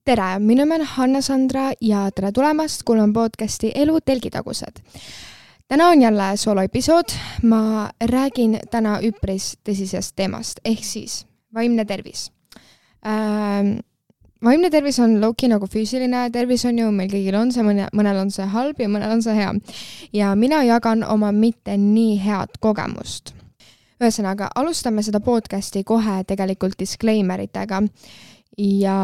Tere, minu nimi on Hanna-Sandra ja tere tulemast kuulama podcasti Elu telgitagused. Täna on jälle soloepisood. Ma räägin täna üpris tõsisest teemast, ehk siis vaimne tervis. Vaimne tervis on low-key nagu füüsiline tervis on ju, meil kõigil on see, mõnel on see halb ja mõnel on see hea. Ja mina jagan oma mitte nii head kogemust. Ühesõnaga, alustame seda podcasti kohe tegelikult disclaimeritega. Ja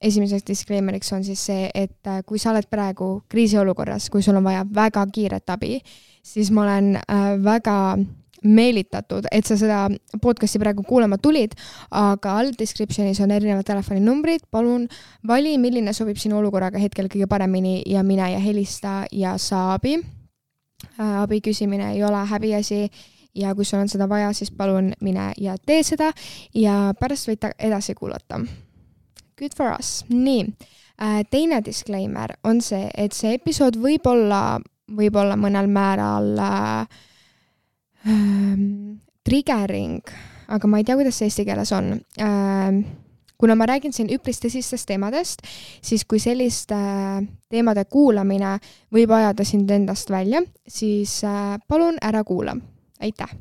esimeseks disclaimeriks on siis see, et kui sa oled praegu kriisiolukorras, kui sul on vaja väga kiiret abi, siis ma olen väga meelitatud, et sa seda podcasti praegu kuulama tulid, aga all descriptionis on erinevad telefoninumbrid, palun vali, milline sobib sinu olukorraga hetkel kõige paremini ja mine ja helista ja saa abi. Abi küsimine ei ole häbiasi ja kui sul on seda vaja, siis palun mine ja tee seda ja pärast võite edasi kuulata. Good for us. Nii, teine disclaimer on see, et see episood võib olla mõnel määral triggering, aga ma ei tea, kuidas see eesti keeles on. Kuna ma räägin siin üpris tõsistest teemadest, siis kui selliste teemade kuulamine võib ajada sind endast välja, siis palun ära kuula. Aitäh.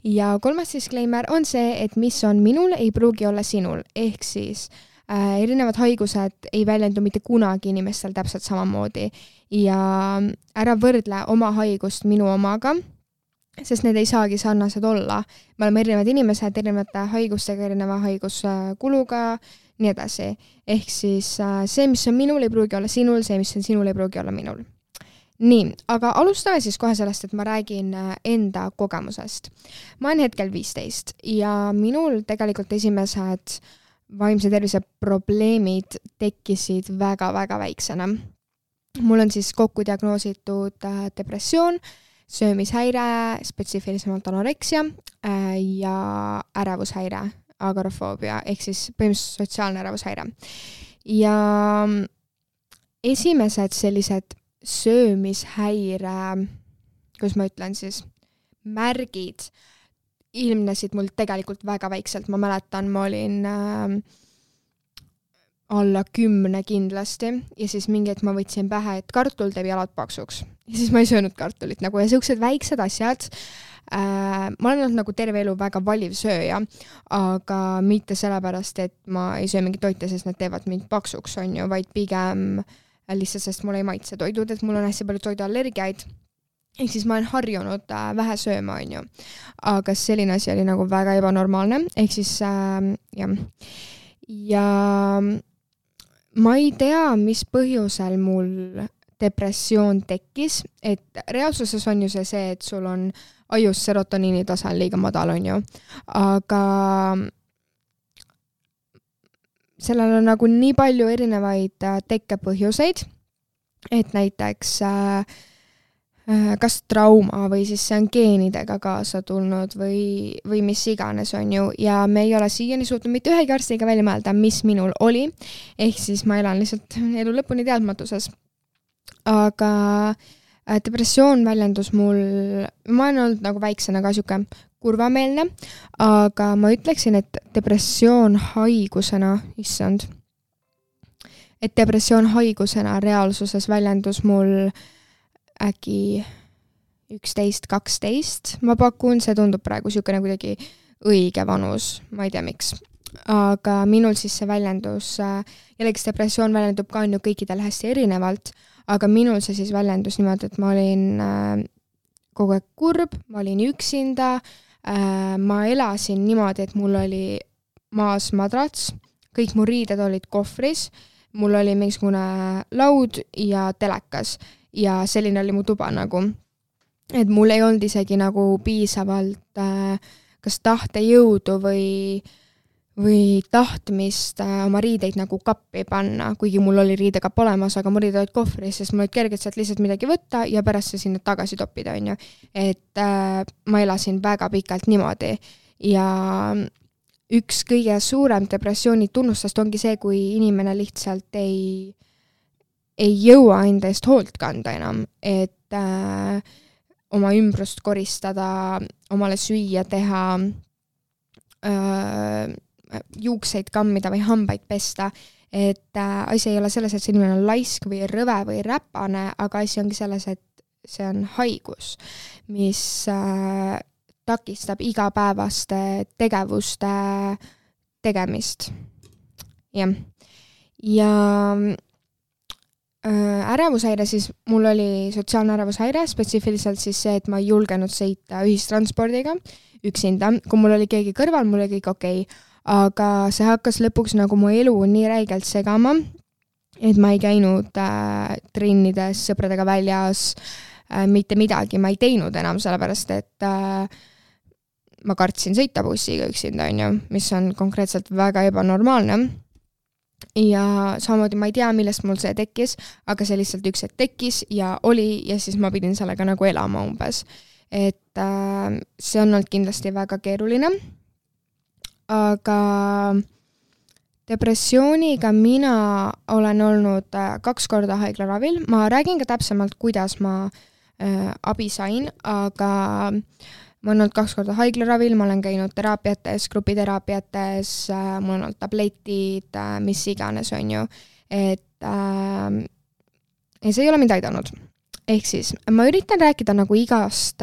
Ja kolmas disclaimer on see, et mis on minul, ei pruugi olla sinul, ehk siis erinevad haigused ei väljendu mitte kunagi inimestel täpselt samamoodi ja ära võrdle oma haigust minu omaga, sest need ei saagi sarnased olla. Me oleme erinevad inimesed, erinevate haigustega, erineva haiguskuluga, nii edasi. Ehk siis see, mis on minul, ei pruugi olla sinul, see, mis on sinul, ei pruugi olla minul. Nii, aga alustame siis kohe sellest, et ma räägin enda kogemusest. Ma olen hetkel 15 ja minul tegelikult esimesed vaimse tervise probleemid tekkisid väga-väga väiksena. Mul on siis kokku diagnoositud depressioon, söömishäire, spetsiifilisemalt anoreksia ja ärevushäire, agorafoobia, ehk siis põhimõtteliselt sotsiaalne ärevushäire. Ja esimesed sellised söömishäire, kus ma ütlen siis, märgid ilmnesid mul tegelikult väga väikselt. Ma mäletan, ma olin alla 10 kindlasti ja siis mingi, et ma võtsin pähe, et kartul teeb jalad paksuks. Ja siis ma ei söönud kartulit nagu ja sellised väiksed asjad. Ma olen olnud nagu terve elu väga valiv sööja, aga mitte sellepärast, et ma ei söö mingit toite, sest nad teevad mind paksuks, on ju, vaid pigem lihtsalt, sest mul ei maitse toidud, et mul on hästi palju toiduallergiaid. Ehk siis ma olen harjunud vähe sööma, on ju. Aga selline asi oli nagu väga ebanormaalne. Ehk siis, jah. Ja ma ei tea, mis põhjusel mul depressioon tekkis, et reaalsuses on ju see, et sul on ajus serotoniini tase liiga madal, on ju. Aga sellel on nagu nii palju erinevaid tekkepõhjuseid, et näiteks kas trauma või siis see on geenidega kaasa tulnud või mis iganes on ju. Ja me ei ole siiani suutnud mitte ühegi arstiga välja mõelda, mis minul oli. Ehk siis ma elan lihtsalt elu lõpuni teadmatuses. Aga depressioon väljendus mul, ma olen olnud nagu väiksena ka siuke kurvameelne, aga ma ütleksin, et depressioon haigusena, issand, et depressioon haigusena reaalsuses väljendus mul äkki 11-12, ma pakun, see tundub praegu siukene kuidagi õige vanus, ma ei tea miks. Aga minul siis see väljendus, jällegi depressioon väljendub ka on ju kõikidel hästi erinevalt, aga minul see siis väljendus niimoodi, et ma olin kogu aeg kurb, ma olin üksinda, ma elasin niimoodi, et mul oli maas madrats, kõik mu riided olid kohvris, mul oli mingisugune laud ja telekas ja selline oli mu tuba nagu, et mul ei olnud isegi nagu piisavalt kas tahtejõudu või tahtmist oma riideid nagu kappi panna, kuigi mul oli riidekapp olemas, aga mu riided olid kohvris, sest mul olid kergelt sealt lihtsalt midagi võtta ja pärast see sinna tagasi toppida, on ju. Et ma elasin väga pikalt niimoodi ja üks kõige suurem depressiooni tunnustast ongi see, kui inimene lihtsalt ei jõua enda eest hoolt kanda enam, et oma ümbrust koristada, omale süüa teha, juukseid kammida või hambaid pesta, et asi ei ole selles, et see inimene on laisk või rõve või räpane, aga asi ongi selles, et see on haigus, mis takistab igapäevaste tegevuste tegemist. Jah. Ja ärevushäire siis, mul oli sotsiaalne ärevushäire, spetsiifiliselt siis see, et ma ei julgenud sõita ühistranspordiga üksinda, kui mul oli keegi kõrval, mul oli kõik okei, aga see hakkas lõpuks nagu mu elu nii räigelt segama, et ma ei käinud trennides sõpradega väljas, mitte midagi ma ei teinud enam, sellepärast et ma kartsin sõita bussiga üksinda, mis on konkreetselt väga ebanormaalne. Ja samamoodi ma ei tea, millest mul see tekkis, aga see lihtsalt üks hetk tekkis ja oli ja siis ma pidin sellega nagu elama umbes. Et see on olnud kindlasti väga keeruline, aga depressiooniga mina olen olnud 2 korda haiglaravil. Ma räägin ka täpsemalt, kuidas ma abi sain, aga ma olen olnud 2 korda haiglaravil, ma olen käinud teraapiates, grupiteraapiates, mul on olnud tabletid, mis iganes on ju. Et see ei ole mind aidanud. Ehk siis, ma üritan rääkida nagu igast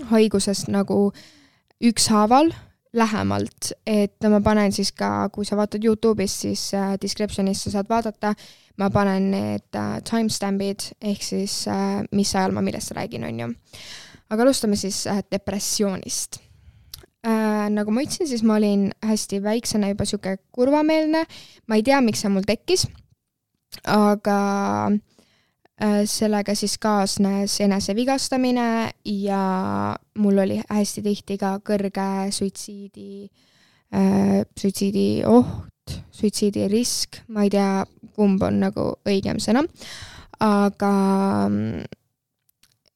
haigusest nagu ükshaaval lähemalt, et ma panen siis ka, kui sa vaatad YouTube'ist, siis description'ist sa saad vaadata, ma panen need timestampid, ehk siis mis ajal ma millest räägin on ju. Aga alustame siis depressioonist. Nagu ma ütlesin, siis ma olin hästi väiksena juba siuke kurvameelne. Ma ei tea, miks see mul tekkis, aga sellega siis kaasnes enesevigastamine ja mul oli hästi tihti ka kõrge suitsiidi oht, suitsiidi risk. Ma ei tea, kumb on nagu õigem sõna, aga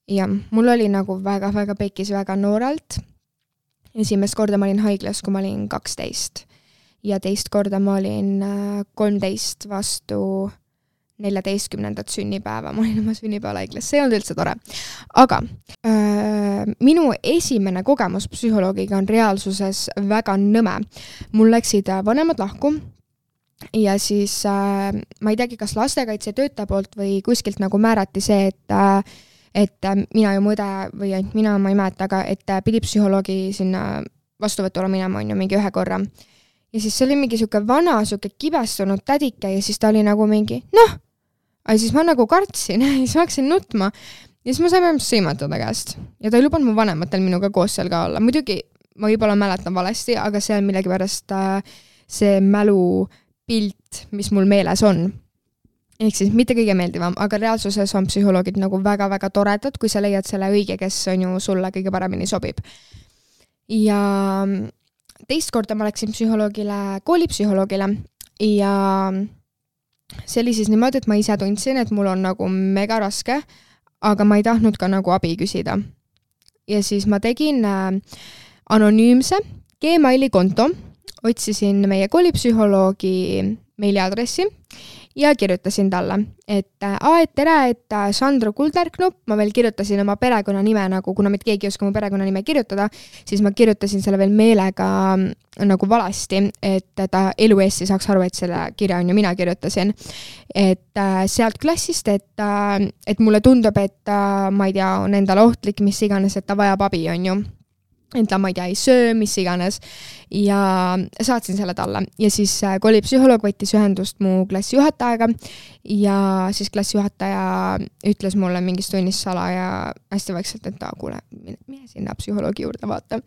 ja mul oli nagu väga-väga pekis väga noorelt. Esimest korda ma olin haiglas, kui ma olin 12 ja teist korda ma olin 13 vastu 14. sünnipäeva. Ma olin oma sünnipäeval haiglas, see on üldse tore. Aga minu esimene kogemus psühholoogiga on reaalsuses väga nõme. Mul läksid vanemad lahku ja siis ma ei teagi, kas lastekaitsetöötaja poolt või kuskilt nagu määrati see, et mina ju mõde või ainult mina, ma ei mäleta, aga et pidi psühholoogi sinna vastuvõtule minema on ju mingi 1 korra. Ja siis see oli mingi siuke vana, siuke kibestunud tädike ja siis ta oli nagu mingi, aga siis ma nagu kartsin ja siis ma hakkasin nutma ja siis ma sain vähemalt sõimata ta käest. Ja ta ei lubanud mu vanematel minuga koos seal ka olla. Muidugi ma võib-olla mäletan valesti, aga see on millegi pärast see mälupilt, mis mul meeles on. Ehk siis mitte kõige meeldivam, aga reaalsuses on psühholoogid nagu väga-väga toredad, kui sa leiad selle õige, kes on ju sulle kõige paremini sobib. Ja teist korda ma läksin koolipsühholoogile ja see oli siis niimoodi, et ma ise tundsin, et mul on nagu mega raske, aga ma ei tahtnud ka nagu abi küsida. Ja siis ma tegin anonüümse Gmaili konto, otsisin meie koolipsühholoogi meiliadressi ja kirjutasin talle, et tere, et Sandro Kulderknupp, ma veel kirjutasin oma perekonnanime nagu, kuna mitte keegi ei oska mu perekonnanime kirjutada, siis ma kirjutasin selle veel meelega nagu valasti, et ta elu eest saaks aru, et selle kirja on ju mina kirjutasin. Et sealt klassist, et mulle tundub, et ma ei tea, on endale ohtlik, mis iganes, et ta vajab abi on ju. Et ta, ma ei tea, ei söö, mis iganes ja saatsin selle talle ja siis koolipsühholoog võttis ühendust mu klassijuhatajaga ja siis klassijuhataja ütles mulle mingis tunnis sala ja hästi vaikselt, et kuule, mine sinna psühholoogi juurde vaata.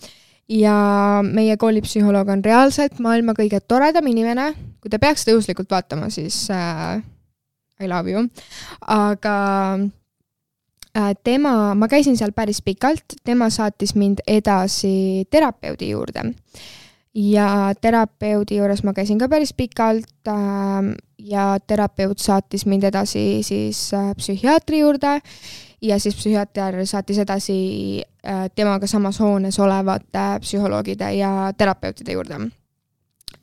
Ja meie koolipsühholoog on reaalselt maailma kõige toredam inimene, kui te peaks tõuslikult vaatama, siis I love you, aga ma käisin seal päris pikalt, tema saatis mind edasi terapeudi juurde ja terapeudi juures ma käisin ka päris pikalt ja terapeut saatis mind edasi siis psühhiaatri juurde ja siis psühhiaater saatis edasi temaga samas hoones olevate psühholoogide ja terapeutide juurde.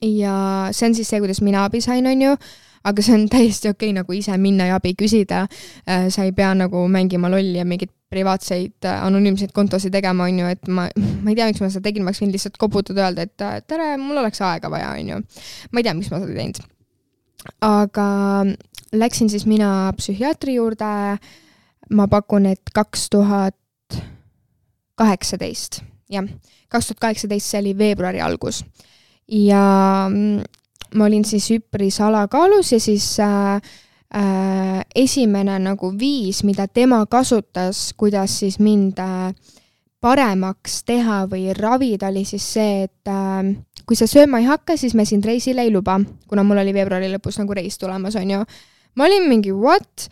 Ja see on siis see, kuidas mina abi sain, on ju, aga see on täiesti okei nagu ise minna ja abi küsida. Sa ei pea nagu mängima lolli ja mingid privaatseid anonüümseid kontosid tegema, on ju, et ma ei tea, miks ma seda tegin, ma võin lihtsalt koputada öelda, et tere, mul oleks aega vaja, on ju. Ma ei tea, miks ma seda teinud. aga läksin siis mina psühhiaatri juurde, ma pakun, et 2018, jah, 2018 see oli veebruari algus. Ja ma olin siis üpris alakaalus ja siis esimene nagu viis, mida tema kasutas, kuidas siis mind paremaks teha või ravida, oli siis see, et kui sa sööma ei hakka, siis me sind reisile ei luba, kuna mul oli veebruari lõpus nagu reis tulemas, on ju. Ma olin mingi what?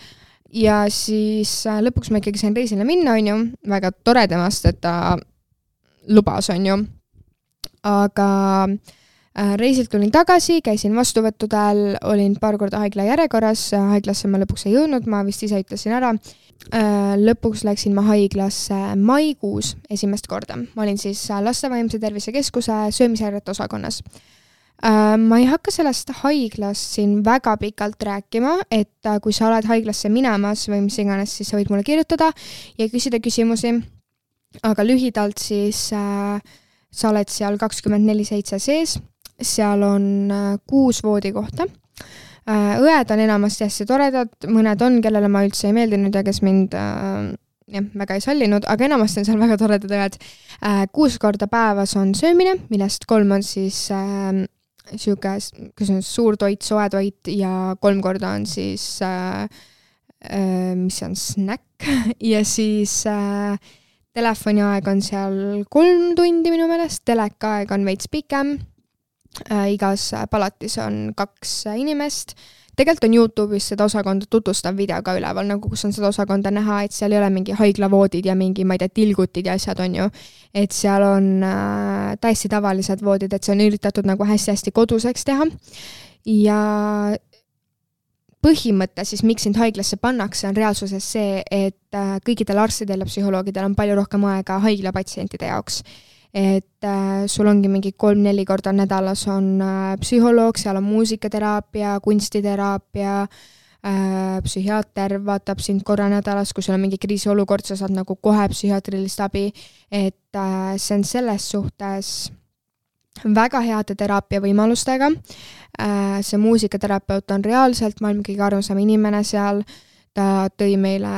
Ja siis lõpuks ma ikkagi sain reisile minna, on ju. Väga tore temast, et ta lubas, on ju. Aga reisilt tulin tagasi, käisin vastuvõttudel, olin paar korda haigla järjekorras, haiglasse ma lõpuks ei jõudnud, ma vist ise ütlesin ära. Lõpuks läksin ma haiglasse maikuus esimest korda. Ma olin siis laste vaimse tervise keskuse söömishäirete osakonnas. Ma ei hakka sellest haiglast siin väga pikalt rääkima, et kui sa oled haiglasse minemas või mis iganes, siis sa võid mulle kirjutada ja küsida küsimusi. Aga lühidalt siis sa oled seal 24/7 sees, seal on 6 voodikohta. Õed on enamasti hästi toredad, mõned on, kellele ma üldse ei meeldinud ja kes mind väga ei sallinud, aga enamasti on seal väga toredad õed. 6 korda päevas on söömine, millest 3 on siis suur toit, soe toit ja 3 korda on siis mis on snäkk ja siis telefoniaeg on seal 3 tundi minu meelest, telekaaeg on veits pikem. Igas palatis on 2 inimest. Tegelikult on YouTube'is seda osakonda tutvustav video ka üleval, nagu kus on seda osakonda näha, et seal ei ole mingi haiglavoodid ja mingi, ma ei tea, tilgutid ja asjad on ju. Et seal on täiesti tavalised voodid, et see on üritatud nagu hästi-hästi koduseks teha. Ja põhimõte siis, miks sind haiglasse pannakse, on reaalsuses see, et kõikidel arstidel ja psühholoogidel on palju rohkem aega haiglapatsientide jaoks. Et sul ongi mingi 3-4 korda nädalas on psühholoog, seal on muusikateraapia, kunstiteraapia, psühhiaater vaatab sind korra nädalas, kui sul on mingi kriisiolukord, sa saad nagu kohe psühhiaatrilist abi, et see on selles suhtes väga heade teraapia võimalustega. See muusikaterapeut on reaalselt maailma kõige armsam inimene seal. Ta tõi meile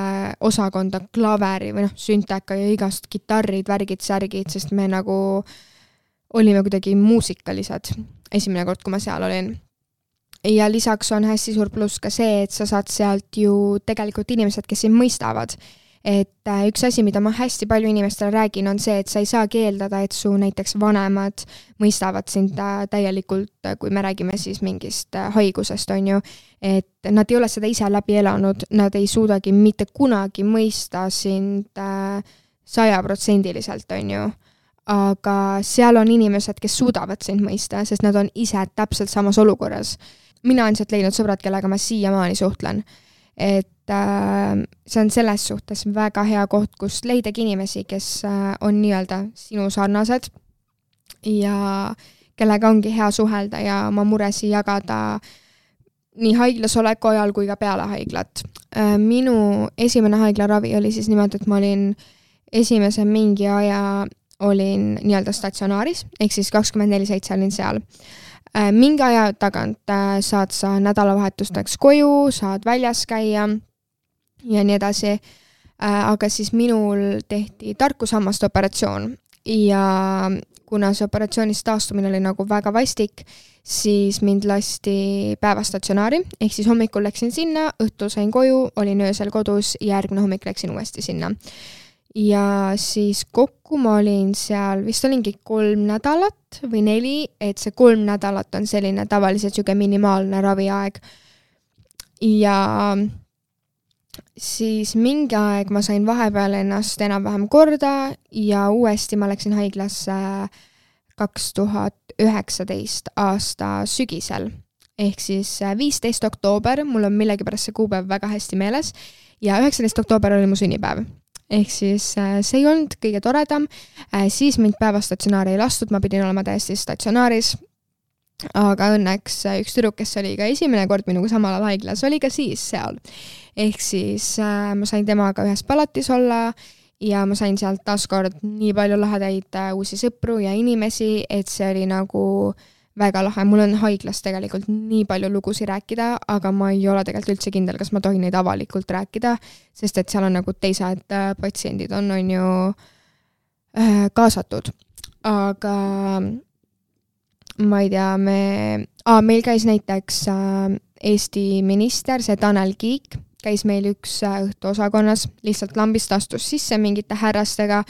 osakonda klaveri või sünteka ja igast kitarrid, värgid, särgid, sest me nagu olime kuidagi muusikalised esimene kord, kui ma seal olin. Ja lisaks on hästi suur pluss ka see, et sa saad sealt ju tegelikult inimesed, kes sind mõistavad. Et üks asi, mida ma hästi palju inimestele räägin, on see, et sa ei saa keeldada, et su näiteks vanemad mõistavad sind täielikult, kui me räägime siis mingist haigusest, on ju. Et nad ei ole seda ise läbi elanud, nad ei suudagi mitte kunagi mõista sind 100%, on ju. Aga seal on inimesed, kes suudavad sind mõista, sest nad on ise täpselt samas olukorras. Mina on sealt leidnud sõbrad, kellega ma siiamaani suhtlen. Et see on selles suhtes väga hea koht, kus leidagi inimesi, kes on nii-öelda sinu sarnased ja kellega ongi hea suhelda ja oma muresi jagada nii haiglas oleku ajal kui ka peale haiglat. Minu esimene haiglaravi oli siis niimoodi, et ma olin esimese mingi aja olin nii-öelda statsionaaris, ehk siis 24/7 olin seal. Mingi aja tagant saad sa nädalavahetusteks koju, saad väljas käia ja nii edasi. Aga siis minul tehti tarkusammaste operatsioon ja kuna see operatsioonist taastumine oli nagu väga vastik, siis mind lasti päevastatsionaari, ehk siis hommikul läksin sinna, õhtul sain koju, olin öösel kodus ja järgmine hommik läksin uuesti sinna. Ja siis kokku ma olin seal, vist olingi 3 nädalat või 4, et see 3 nädalat on selline tavaliselt siuke minimaalne raviaeg. Ja siis mingi aeg ma sain vahepeal ennast enam-vähem korda ja uuesti ma läksin haiglasse 2019 aasta sügisel. Ehk siis 15 oktoober, mul on millegipärast see kuupäev väga hästi meeles, ja 19 oktoober oli mu sünnipäev. Ehk siis see ei olnud kõige toredam, siis mind päevastatsionaari ei lastud, ma pidin olema täiesti statsionaaris, aga õnneks üks tüdruk, kes oli ka esimene kord minuga samal ajal haiglas, oli ka siis seal. Ehk siis ma sain temaga ühes palatis olla ja ma sain sealt taaskord nii palju lahedaid uusi sõpru ja inimesi, et see oli nagu väga lahe, mul on haiglas tegelikult nii palju lugusid rääkida, aga ma ei ole tegelikult üldse kindel, kas ma tohin neid avalikult rääkida, sest et seal on nagu teised patsiendid on ju kaasatud. Aga ma ei tea, meil käis näiteks Eesti minister, see Tanel Kiik, käis meil üks õhtu osakonnas, lihtsalt lambist astus sisse mingite härrastega,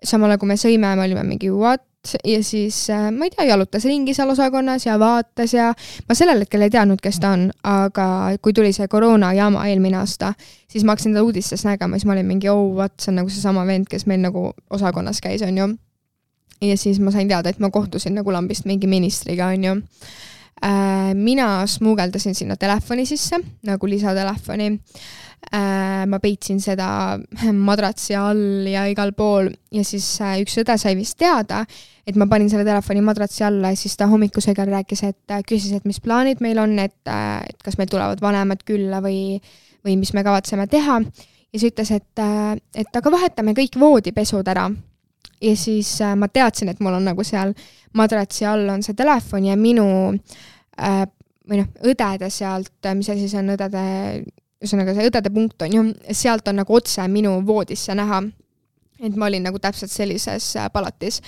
samal kui me sõime, me olime mingi what? Ja siis, ma ei tea, jalutas ringi seal osakonnas ja vaatas ja ma sellel hetkel ei teadnud, kes ta on, aga kui tuli see koroona jama eelmine aasta, siis ma hakkasin ta uudistes nägema, siis ma olin mingi, see on nagu see sama vend, kes meil nagu osakonnas käis, on ju. Ja siis ma sain teada, et ma kohtusin nagu lambist mingi ministriga, on ju. Mina smuugeldasin sinna telefoni sisse, nagu lisatelefoni. Ma peitsin seda madratsi all ja igal pool ja siis üks õde sai vist teada, et ma panin selle telefoni madratsi alla ja siis ta hommikusega rääkis, et küsis, et mis plaanid meil on, et kas meil tulevad vanemad külla või mis me kavatseme teha. Ja siis ütles, et aga vahetame kõik voodipesud ära. Ja siis ma teadsin, et mul on nagu seal madratsi all on see telefon ja minu õdede sealt, mis asi see on ühesõnaga see õdede punkt on ju, sealt on nagu otse minu voodisse näha, et ma olin nagu täpselt sellises palatis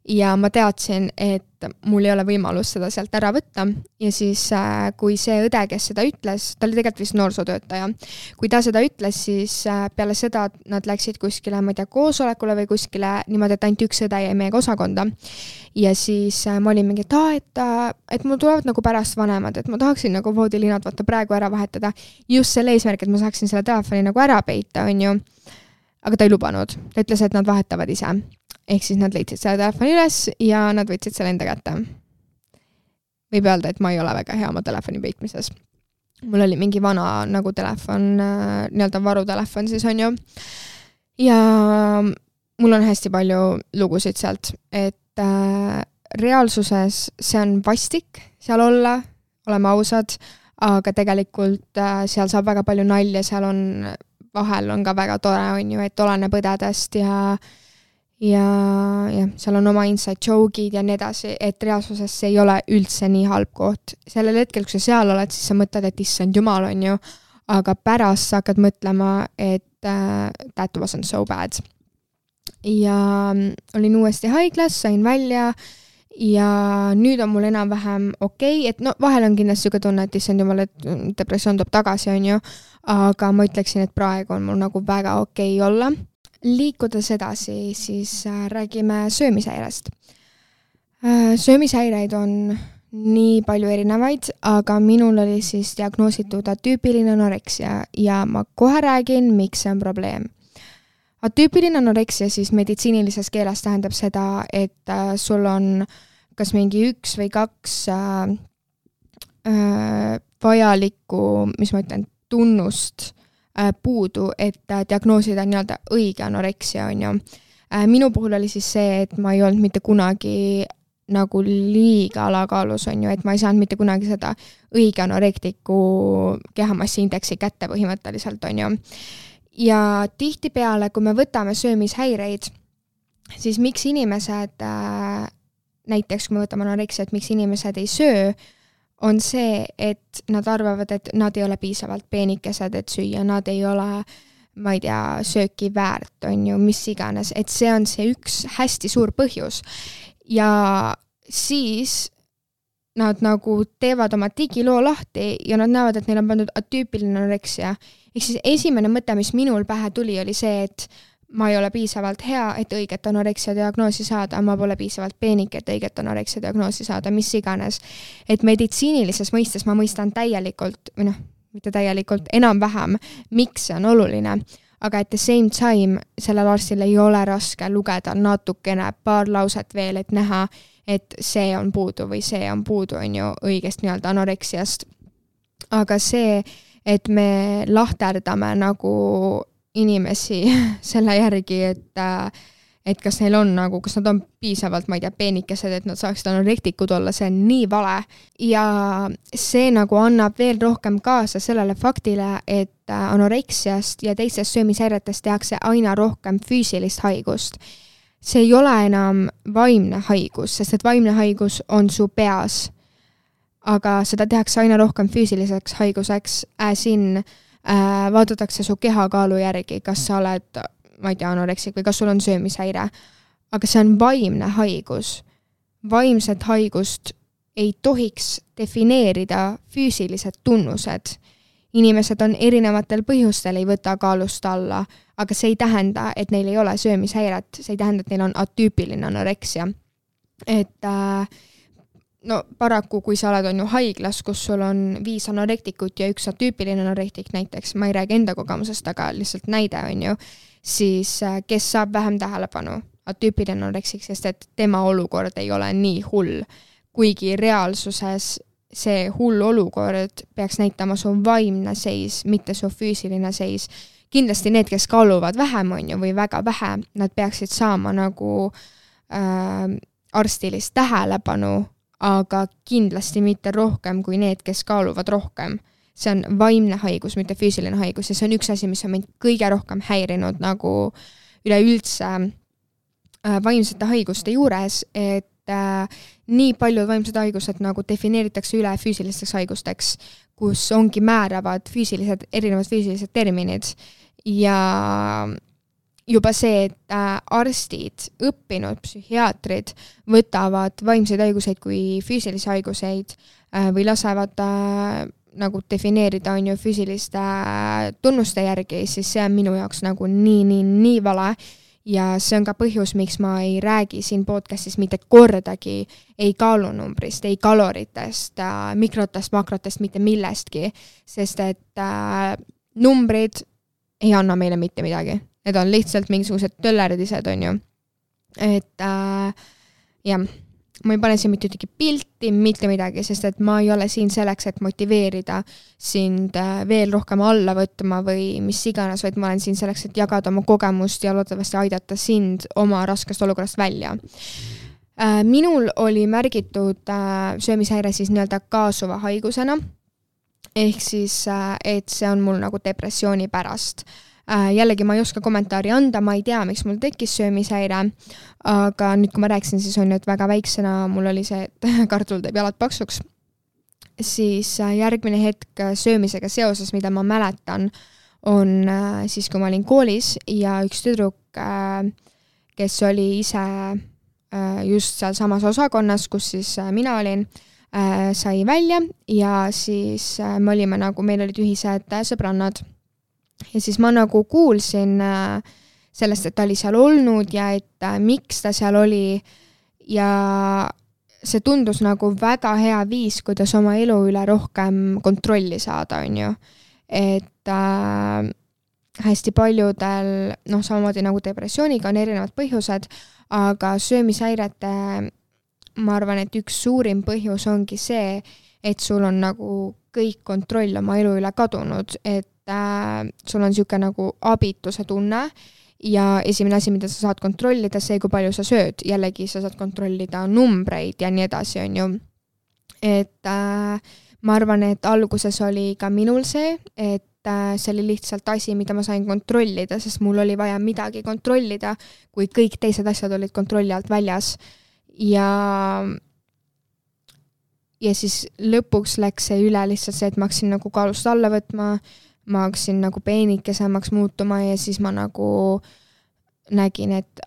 ja ma teadsin, et mul ei ole võimalus seda sealt ära võtta ja siis kui see õde, kes seda ütles, ta oli tegelikult vist noorsootöötaja, kui ta seda ütles, siis peale seda nad läksid kuskile, ma ei tea, koosolekule või kuskile niimoodi, et ainult üks õde jäi meiega osakonda ja siis ma olin mingi, et mul tulevad nagu pärast vanemad, et ma tahaksin nagu voodilinad vaata praegu ära vahetada just selle eesmärk, et ma saaksin selle telefoni nagu ära peita, on ju, aga ta ei lubanud, ta ütles, et nad vahetavad ise. Ehk siis nad leidsid selle telefoni üles ja nad võtsid selle enda kätte. Võib öelda, et ma ei ole väga hea oma telefoni peitmises. Mul oli mingi vana nagu telefon, nii-öelda varutelefon siis on ju. Ja mul on hästi palju lugusid sealt, et reaalsuses see on vastik seal olla, oleme ausad, aga tegelikult seal saab väga palju nalja, seal on, vahel on ka väga tore, on ju, et oleneb õdedest ja seal on oma inside joke'id ja nii edasi, et reaalsuses see ei ole üldse nii halb koht. Sellel hetkel, kui sa seal oled, siis sa mõtled, et issand jumal on ju, aga pärast sa hakkad mõtlema, et that wasn't so bad. Ja olin uuesti haiglas, sain välja ja nüüd on mul enam-vähem okei, et no vahel on kindlasti siuke tunne, et issand jumal, et depressioon tuleb tagasi, on ju, aga ma ütleksin, et praegu on mul nagu väga okei olla. Liikudes edasi, siis räägime söömishäirest. Söömishäireid on nii palju erinevaid, aga minul oli siis diagnoositud atüüpiline anoreksia ja ma kohe räägin, miks see on probleem. Atüüpiline anoreksia siis meditsiinilises keeles tähendab seda, et sul on kas mingi 1 või 2 vajalikku, mis ma ütlen, tunnust puudu, et diagnoosida nii-öelda õige anoreksia on ju. Minu puhul oli siis see, et ma ei olnud mitte kunagi nagu liiga alakaalus on ju, et ma ei saanud mitte kunagi seda õige anorektiku kehamassi-indeksi kätte põhimõtteliselt on ju. Ja tihtipeale, kui me võtame söömishäireid, siis miks inimesed, näiteks kui me võtame anoreksiat, miks inimesed ei söö, on see, et nad arvavad, et nad ei ole piisavalt peenikesed, et süüa, nad ei ole, ma ei tea, sööki väärt, on ju, mis iganes, et see on see üks hästi suur põhjus. Ja siis nad nagu teevad oma digiloo lahti ja nad näevad, et neil on pandud atüüpiline anoreksia. Ehk siis esimene mõte, mis minul pähe tuli, oli see, et ma ei ole piisavalt hea, et õiget anoreksia diagnoosi saada, ma pole piisavalt peenik, et õiget anoreksia diagnoosi saada, mis iganes. Et meditsiinilises mõistes ma mõistan täielikult, või noh, mitte täielikult, enam-vähem, miks see on oluline. Aga at the same time, sellel arstil ei ole raske lugeda natukene paar lauset veel, et näha, et see on puudu või see on puudu, on ju õigest nii-öelda anoreksiast. Aga see, et me lahterdame nagu inimesi selle järgi, et kas neil on nagu, kas nad on piisavalt, ma ei tea, peenikesed, et nad saaksid anorektikud olla, see on nii vale. Ja see nagu annab veel rohkem kaasa sellele faktile, et anoreksiast ja teistest söömishäiretest tehakse aina rohkem füüsilist haigust. see ei ole enam vaimne haigus, sest et vaimne haigus on su peas, aga seda tehakse aina rohkem füüsiliseks haiguseks, vaadatakse su kehakaalu järgi, kas sa oled, ma ei tea, anoreksik või kas sul on söömishäire, aga see on vaimne haigus. Vaimset haigust ei tohiks defineerida füüsilised tunnused. Inimesed on erinevatel põhjustel ei võta kaalust alla, aga see ei tähenda, et neil ei ole söömishäiret, see ei tähenda, et neil on atüüpiline anoreksia. Et no paraku, kui sa oled on ju haiglas, kus sul on 5 anorektikut ja 1 atüüpiline anorektik näiteks, ma ei räägi enda kogemusest, aga lihtsalt näide on ju, siis kes saab vähem tähelepanu, atüüpiline anoreksik, sest et tema olukord ei ole nii hull, kuigi reaalsuses see hull olukord peaks näitama su vaimne seis, mitte su füüsiline seis. Kindlasti need, kes kaaluvad vähem on ju, või väga vähe, nad peaksid saama nagu arstilist tähelepanu, aga kindlasti mitte rohkem kui need, kes kaaluvad rohkem. See on vaimne haigus, mitte füüsiline haigus ja see on üks asi, mis on mind kõige rohkem häirinud nagu üleüldse vaimsete haiguste juures, et nii paljud vaimsed haigused nagu defineeritakse üle füüsilisteks haigusteks, kus ongi määravad erinevad füüsilised terminid ja juba see, et arstid, õppinud psühhiaatrid võtavad vaimseid haiguseid kui füüsilisi haiguseid või lasevad nagu defineerida on ju füüsiliste tunnuste järgi, siis see on minu jaoks nagu nii vale. Ja see on ka põhjus, miks ma ei räägi siin podcastis mitte kordagi ei kaalunumbrist, ei kaloritest, mikrotest, makrotest, mitte millestki, sest et numbrid ei anna meile mitte midagi. Need on lihtsalt mingisugused töllerdised, on ju. Et jah, ma ei pane siin mitte ühtegi pilti, mitte midagi, sest et ma ei ole siin selleks, et motiveerida sind veel rohkem alla võtma või mis iganes, vaid ma olen siin selleks, et jagada oma kogemust ja loodetavasti aidata sind oma raskest olukorrast välja. Minul oli märgitud söömishäire siis nii-öelda kaasuva haigusena, ehk siis, et see on mul nagu depressiooni pärast. Jällegi ma ei oska kommentaari anda, ma ei tea, miks mul tekkis söömishäire, aga nüüd, kui ma rääksin, siis on nüüd väga väiksena, mul oli see, et kartul teeb jalad paksuks, siis järgmine hetk söömisega seoses, mida ma mäletan, on siis, kui ma olin koolis ja üks tüdruk, kes oli ise just seal samas osakonnas, kus siis mina olin, sai välja ja siis me olime nagu, meil olid ühised sõbrannad. Ja siis ma nagu kuulsin sellest, et ta oli seal olnud ja et miks ta seal oli ja see tundus nagu väga hea viis, kuidas oma elu üle rohkem kontrolli saada, on ju. Et hästi paljudel, samamoodi nagu depressiooniga on erinevad põhjused, aga söömishäirete, ma arvan, et üks suurim põhjus ongi see, et sul on nagu kõik kontroll oma elu üle kadunud, et sul on siuke nagu abituse tunne ja esimene asi, mida sa saad kontrollida, see, kui palju sa sööd. Jällegi sa saad kontrollida numbreid ja nii edasi, on ju. Et ma arvan, et alguses oli ka minul see, et see oli lihtsalt asi, mida ma sain kontrollida, sest mul oli vaja midagi kontrollida, kui kõik teised asjad olid kontrolli alt väljas. Ja siis lõpuks läks see üle lihtsalt see, et ma hakkasin nagu kaalust alla võtma, ma hakkasin nagu peenikesemaks muutuma ja siis ma nagu nägin, et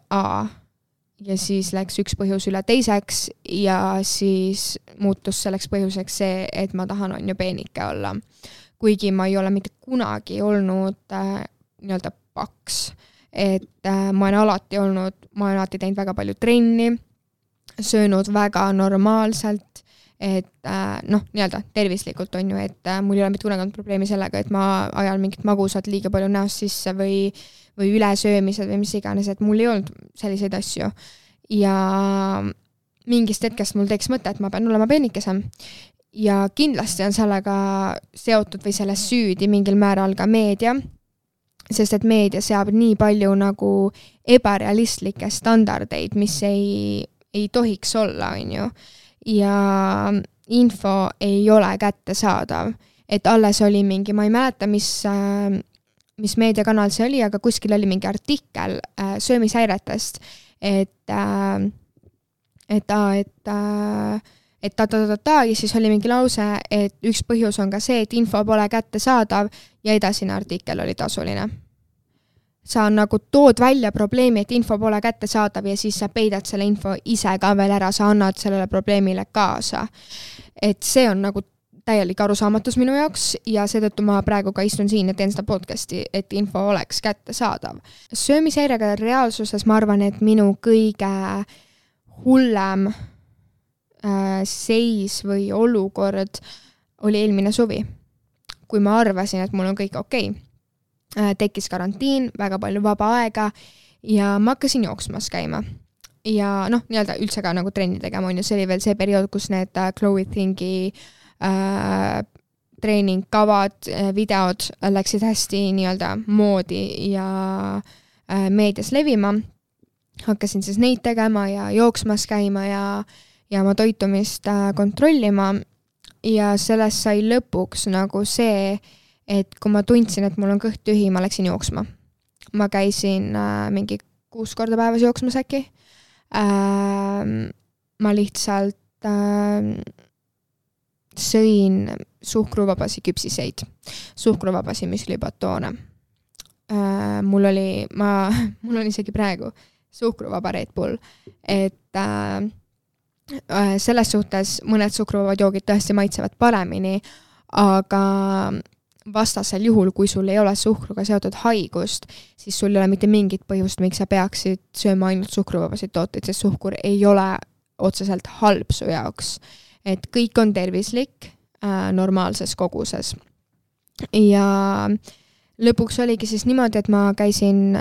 ja siis läks üks põhjus üle teiseks ja siis muutus selleks põhjuseks see, et ma tahan on ju peenike olla. Kuigi ma ei ole mitte kunagi olnud nii-öelda paks, et ma olen alati teinud väga palju trenni, söönud väga normaalselt, et nii-öelda tervislikult on ju, et mul ei ole mitte kunagi olnud probleemi sellega, et ma ajan mingit magusat liiga palju näost sisse või ülesöömised või mis iganes, et mul ei olnud selliseid asju. Ja mingist hetkest mul teeks mõte, et ma pean olema peenikesem. Ja kindlasti on sellega seotud või selles süüdi mingil määral ka meedia, sest et meedia seab nii palju nagu ebarealistlikke standardeid, mis ei tohiks olla, on ju. Ja info ei ole kättesaadav, et alles oli mingi, ma ei mäleta, mis meediakanal see oli, aga kuskil oli mingi artikkel söömishäiretest, ja siis oli mingi lause, et üks põhjus on ka see, et info pole kättesaadav ja edasine artikkel oli tasuline. Sa nagu tood välja probleemi, et info pole kättesaadav ja siis sa peidad selle info ise ka veel ära, sa annad sellele probleemile kaasa. Et see on nagu täielik arusaamatus minu jaoks ja seetõttu ma praegu ka istun siin ja teen seda podcasti, et info oleks kättesaadav. Söömishäirega reaalsuses ma arvan, et minu kõige hullem seis või olukord oli eelmine suvi, kui ma arvasin, et mul on kõik okei. Tekkis karantiin, väga palju vaba aega ja ma hakkasin jooksmas käima. Ja nii-öelda üldse ka nagu trenni tegema on ja see oli veel see periood, kus need Chloe Thingi treeningkavad, videod läksid hästi nii-öelda moodi ja meedias levima. Hakkasin siis neid tegema ja jooksmas käima ja oma toitumist kontrollima ja sellest sai lõpuks nagu see, et kui ma tundsin, et mul on kõht tühi, ma läksin jooksma. Ma käisin mingi 6 korda päevas jooksmas äkki. Ma lihtsalt sõin suhkruvabasi küpsiseid, suhkruvabasi müslibatoone. Mul on isegi praegu suhkruvaba Red Bull, et selles suhtes mõned suhkruvabad joogid tõesti maitsevad paremini, aga vastasel juhul, kui sul ei ole suhkruga seotud haigust, siis sul ei ole mitte mingit põhjust, miks sa peaksid sööma ainult suhkruvabasid tooteid, sest suhkur ei ole otseselt halb su jaoks. Et kõik on tervislik normaalses koguses. Ja lõpuks oligi siis niimoodi, et ma käisin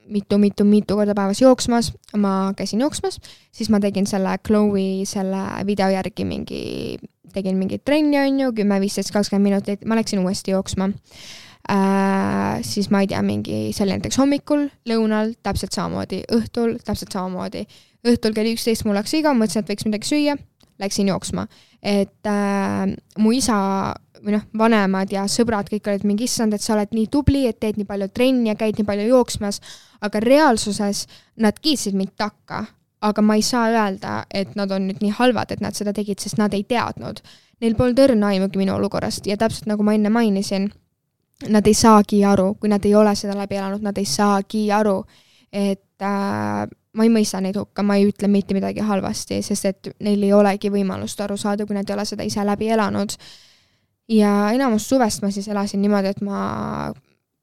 mitu korda päevas jooksmas, ma käisin jooksmas, siis ma tegin selle Chloe selle video järgi tegin mingi trenni on ju, 10, 15, 20 minutit, ma läksin uuesti jooksma. Siis ma ei tea, see oli näiteks hommikul, lõunal, täpselt samamoodi, õhtul, täpselt samamoodi. Õhtul kell 11 mul läks iga, mõtlesin, et võiks midagi süüa, läksin jooksma. Et mu isa või vanemad ja sõbrad kõik olid mingi issand, et sa oled nii tubli, et teed nii palju trenni ja käid nii palju jooksmas, aga reaalsuses nad kiitsid mind takka. Aga ma ei saa öelda, et nad on nüüd nii halvad, et nad seda tegid, sest nad ei teadnud. Neil polnud õrna aimugi minu olukorrast ja täpselt nagu ma enne mainisin, nad ei saagi aru, kui nad ei ole seda läbi elanud, nad ei saagi aru, et ma ei mõista neid hukka, ma ei ütle mitte midagi halvasti, sest et neil ei olegi võimalust aru saada, kui nad ei ole seda ise läbi elanud. Ja enamus suvest ma siis elasin niimoodi, et ma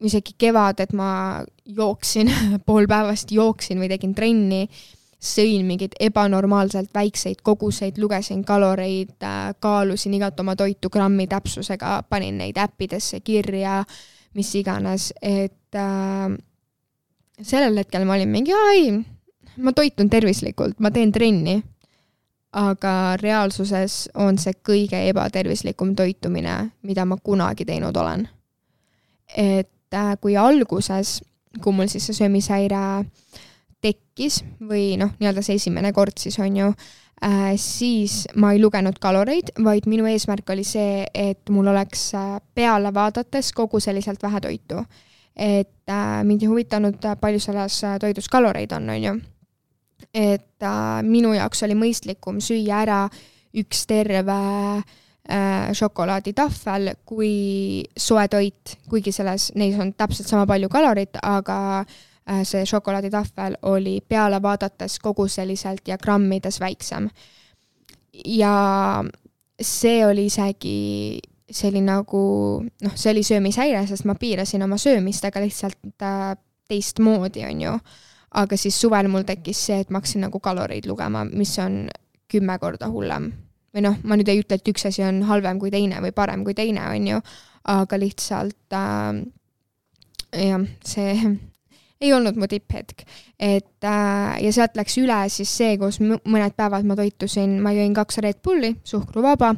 isegi kevad, et ma jooksin, pool päevast jooksin või tegin trenni, sõin mingid ebanormaalselt väikseid koguseid, lugesin kaloreid, kaalusin igat oma toitu grammi täpsusega, panin neid äppidesse kirja, mis iganes, et sellel hetkel ma olin mingi, ma toitun tervislikult, ma teen trenni, aga reaalsuses on see kõige ebatervislikum toitumine, mida ma kunagi teinud olen. Et kui alguses, kui mul siis see söömishäire tekkis või nii-öelda see esimene kord siis on ju, siis ma ei lugenud kaloreid, vaid minu eesmärk oli see, et mul oleks peale vaadates kogu selliselt vähe toitu. Et mind ei huvitanud palju selles toidus kaloreid on ju. Et minu jaoks oli mõistlikum süüa ära üks terve šokolaaditahvel kui soe toit, kuigi neis on täpselt sama palju kalorit, aga see šokolaaditahvel oli peale vaadates kogu selliselt ja grammides väiksem. Ja see oli isegi see oli nagu, see oli söömishäire, sest ma piirasin oma söömist, aga lihtsalt teistmoodi on ju. Aga siis suvel mul tekkis see, et ma hakkasin nagu kaloreid lugema, mis on 10 korda hullem. Või ma nüüd ei ütle, et üks asi on halvem kui teine või parem kui teine on ju, aga lihtsalt see ei olnud mu tipphetk. Ja sealt läks üle siis see, kus mõned päevad ma toitusin, ma jõin 2 Red Bulli, suhkruvaba,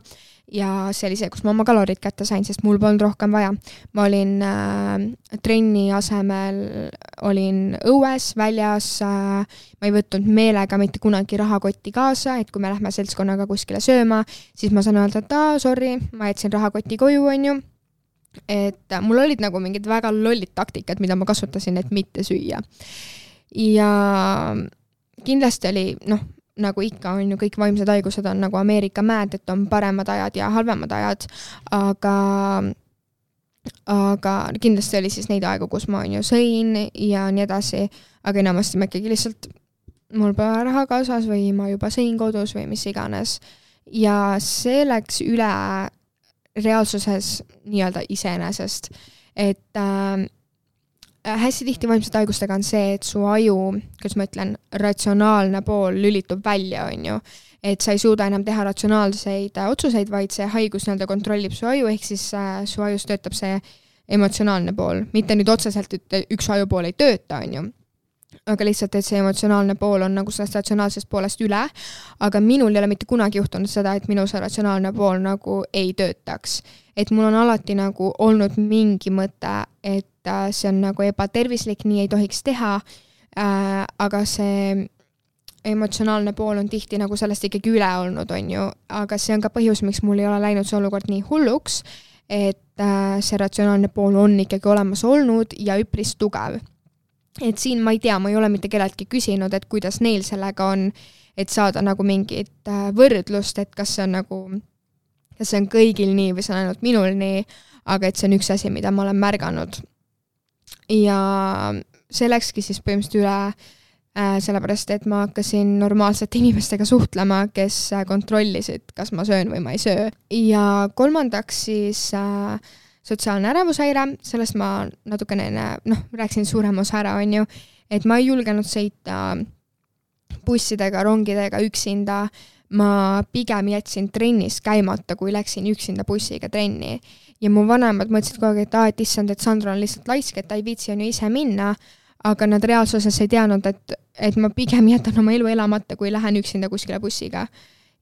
ja see oli see, kus ma oma kalorid kätte sain, sest mul polnud rohkem vaja. Ma olin trenni asemel, olin õues, väljas, ma ei võtnud meelega mitte kunagi rahakotti kaasa, et kui me lähme seltskonnaga kuskile sööma, siis ma saan öelda, et sorry, ma jätsin rahakoti koju, on ju. Et mul olid nagu mingid väga lollid taktikad, mida ma kasutasin, et mitte süüa. Ja kindlasti oli, nagu ikka on ju, kõik vaimsed haigused on nagu Ameerika mäed, et on paremad ajad ja halvemad ajad, aga kindlasti oli siis neid aegu, kus ma on ju sõin ja nii edasi, aga enamasti ma ikkagi lihtsalt, mul pole raha kaasas või ma juba sõin kodus või mis iganes. Ja see läks üle reaalsuses nii-öelda iseenesest, et hästi tihti vaimsete haigustega on see, et su aju, kuidas ma ütlen, ratsionaalne pool lülitub välja, on ju. Et sa ei suuda enam teha ratsionaalseid otsuseid, vaid see haigus nii-öelda kontrollib su aju, ehk siis su ajus töötab see emotsionaalne pool. Mitte nüüd otseselt, et üks aju pool ei tööta, on ju. Aga lihtsalt, et see emotsionaalne pool on nagu sellest ratsionaalsest poolest üle, aga minul ei ole mitte kunagi juhtunud seda, et minu see ratsionaalne pool nagu ei töötaks. Et mul on alati nagu olnud mingi mõte, et see on nagu ebatervislik, nii ei tohiks teha, aga see emotsionaalne pool on tihti nagu sellest ikkagi üle olnud, on ju, aga see on ka põhjus, miks mul ei ole läinud see olukord nii hulluks, et see ratsionaalne pool on ikkagi olemas olnud ja üpris tugev. Et siin ma ei tea, ma ei ole mitte kelleltki küsinud, et kuidas neil sellega on, et saada nagu mingit võrdlust, et kas see on kõigil nii või see on ainult minul nii, aga et see on üks asi, mida ma olen märganud. Ja see läkski siis põhimõtteliselt üle sellepärast, et ma hakkasin normaalsete inimestega suhtlema, kes kontrollisid, kas ma söön või ma ei söö. Ja kolmandaks siis sotsiaalne ärevushäire, sellest ma natukene rääksin suurem osa ära, on ju, et ma ei julgenud sõita bussidega, rongidega üksinda, ma pigem jätsin trennis käimata, kui läksin üksinda bussiga trenni. Ja mu vanemad mõtlesid kogu aeg, et issand, et Sandra on lihtsalt laisk, et ta ei viitsi on ju ise minna, aga nad reaalsuses ei teadnud, et ma pigem jätan oma elu elamata, kui lähen üksinda kuskile bussiga.